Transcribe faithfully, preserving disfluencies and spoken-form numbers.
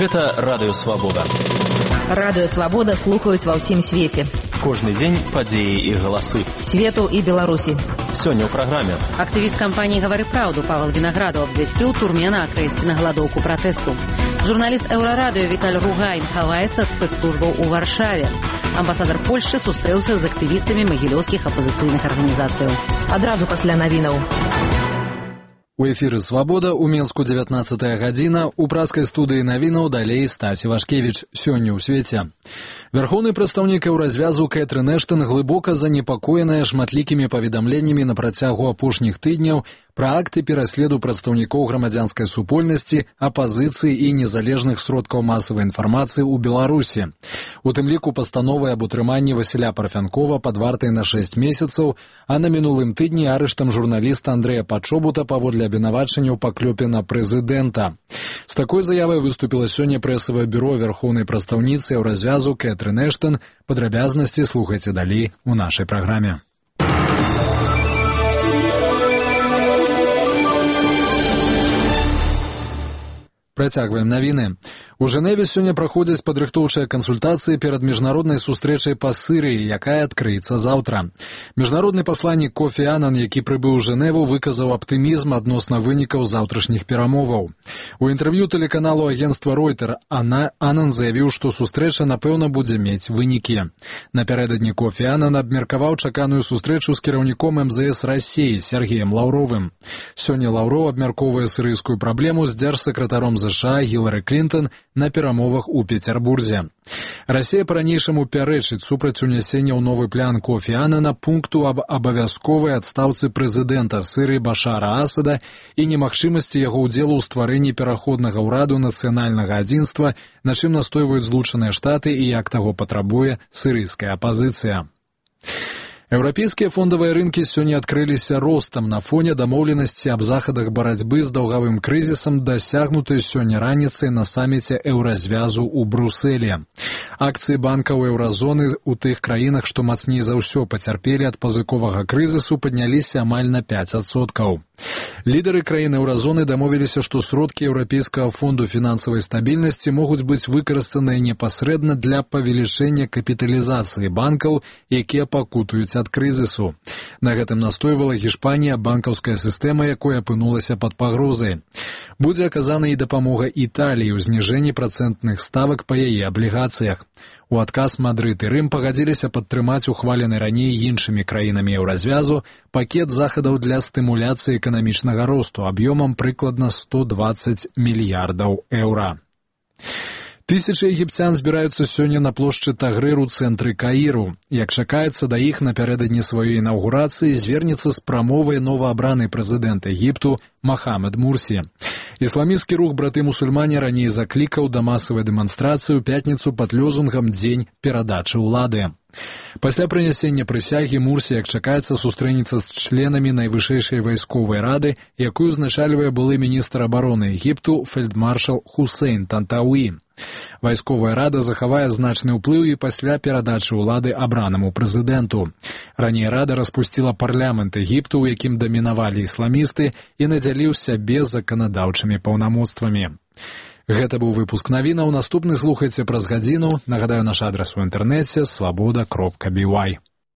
Гэта Радыё Свабода. Радыё Свабода слухаюць ва ўсім свеце. Кожны дзень падзеі і галасы. Свету і Беларусі. Сёння ў праграме. Актывіст кампаніі «Гавары праўду» Павел Вінаграду абвясціў турме на акрэсці на галадоўку пратэсту. Журналіст Еўрарадыё Віталь Ругайн хаваецца ад спецслужбаў у Варшаве. Амбасадар Польшчы сустрэўся з актывістамі магілёўскіх апазіцыйных арганізацыяў. Адразу пасля навінаў. У эфіры «Свабода» у Менску дзевятнаццатая гадзіна, у праскай студыі навінаў далей Стась Івашкевіч. Сёння ў свеце. Вярхоўны прадстаўнік Еўразвязу Кэтрын Эштон глыбока занепакоеная шматлікімі паведамленнямі на працягу апошніх тыдняў пра акты пераследу прадстаўнікоў грамадзянскай супольнасці, апазіцыі і незалежных сродкаў масавай інфармацыі ў Беларусі. У тым ліку пастановай аб утрыманні Васіля Парфянкова пад вартай на шэсць месяцаў, а на мінулым тыдні арыштам журналіста Андрэя Пачобута паводле абвінавачання ў паклёпе на прэзідэнта. З такой заявай выступіла сёння прэсавае бюро вярхоўнай прадстаўніцы Еўразвязу Кэтрын Эштон. Падрабязнасці слухайце далей у нашай праграме. Працягваем навіны. У Жэневе сёння праходзяць падрыхтоўчыя кансультацыі перад міжнароднай сустрэчай па Сірыі, якая адкрыецца заўтра. Міжнародны пасланнік Кофі Анан, які прыбыў у Жэневу, выказаў аптымізм адносна вынікаў заўтрашніх перамоваў. У інтэрв'ю тэлеканалу агенцтва Ройтер Анан заявіў, што сустрэча, напэўна, будзе мець вынікі. Напярэдадні Кофі Анан абмеркаваў чаканую сустрэчу з кіраўніком эм зэ эс Расіі Сергеем Лаўровым. Сёння Лаўроў абмяркоўвае сірыйскую праблему з дзяржсакратаром зэ ша Гілары Клінтон на перамовах у Пецярбурзе. Расія па-ранейшаму пярэчыць супраць унясення ў новы план Кофі Анана пункту аб абавязковай адстаўцы прэзідэнта Сірыі Башара Асада і немагчымасці яго ўдзелу ў стварэнні пераходнага ўраду нацыянальнага адзінства, на чым настойваюць Злучаныя Штаты і як таго патрабуе сірыйская апазіцыя. Еўрапейскія фондавыя рынкі сёння адкрыліся ростам на фоне дамоўленасці аб захадах барацьбы з даўгавым крызісам, дасягнутай сёння раніцай на саміце Еўразвязу ў Брусэлі. Акцыі банкаў еўразоны ў тых краінах, што мацней за ўсё пацярпелі ад пазыковага крызісу, падняліся амаль на пяць адсоткаў. Лідары краін еўразоны дамовіліся, што сродкі Еўрапейскага фонду фінансавай стабільнасці могуць быць выкарыстаныя непасрэдна для павелічэння капіталізацыі банкаў, якія пакутуюць ад крызісу. На гэтым настойвала Гішпанія, банкаўская сістэма, якой апынулася пад пагрозай. Будзе аказана і дапамога Італіі ў зніжэнні працэнтных ставак па яе аблігацыях. У адказ Мадрыд і Рым пагадзіліся падтрымаць ухвалены раней іншымі краінамі Еўразвязу пакет захадаў для стымуляцыі эканамічнага росту аб'ёмам прыкладна сто дваццаць мільярдаў еўра. Тысячы егіпцян збіраюцца сёння на плошчы Тагрыр у цэнтры Каіру. Як чакаецца, да іх напярэдадні сваёй інаўгурацыі звернецца з прамовай новаабраны прэзідэнт Егіпту Махамед Мурсі. Ісламісцкі рух браты-мусульмане раней заклікаў да масавай дэманстрацыі ў пятніцу пад лёзунгам «Дзень перадачы ўлады». Пасля прынясення прысягі Мурсі, як чакаецца, сустрэнецца з членамі найвышэйшай вайсковай рады, якую узначальвае былы міністр абароны Егіпту фельдмаршал Хусейн Тантауі. Вайсковая рада захавае значны ўплыў і пасля перадачы ўлады абранаму прэзідэнту. Раней рада распусціла парламент Егіпту, у якім дамінавалі ісламісты, і надзяліў сябе заканадаўчымі паўнамоцтвамі. Гэта быў выпуск навінаў. Наступны слухайце праз гадзіну. Нагадаю, наш адрас у інтэрнэце свабода кропка бі вай.